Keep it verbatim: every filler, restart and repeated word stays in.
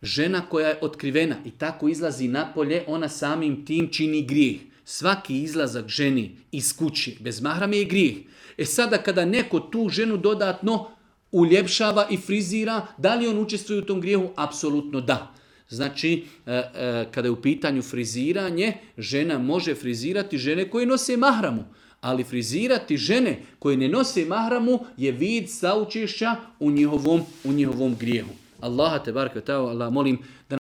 žena koja je otkrivena i tako izlazi napolje, ona samim tim čini grijeh. Svaki izlazak ženi iz kući bez mahrama je grijeh. E sada kada neko tu ženu dodatno uljepšava i frizira, da li on učestvuje u tom grijehu? Apsolutno da. Znači, kada je u pitanju friziranje, žena može frizirati žene koje nose mahramu. Ali frizirati žene koje ne nose mahramu je vid saučešća u njihovom, u njihovom grijehu. Allaha te baraka ta'ala, molim da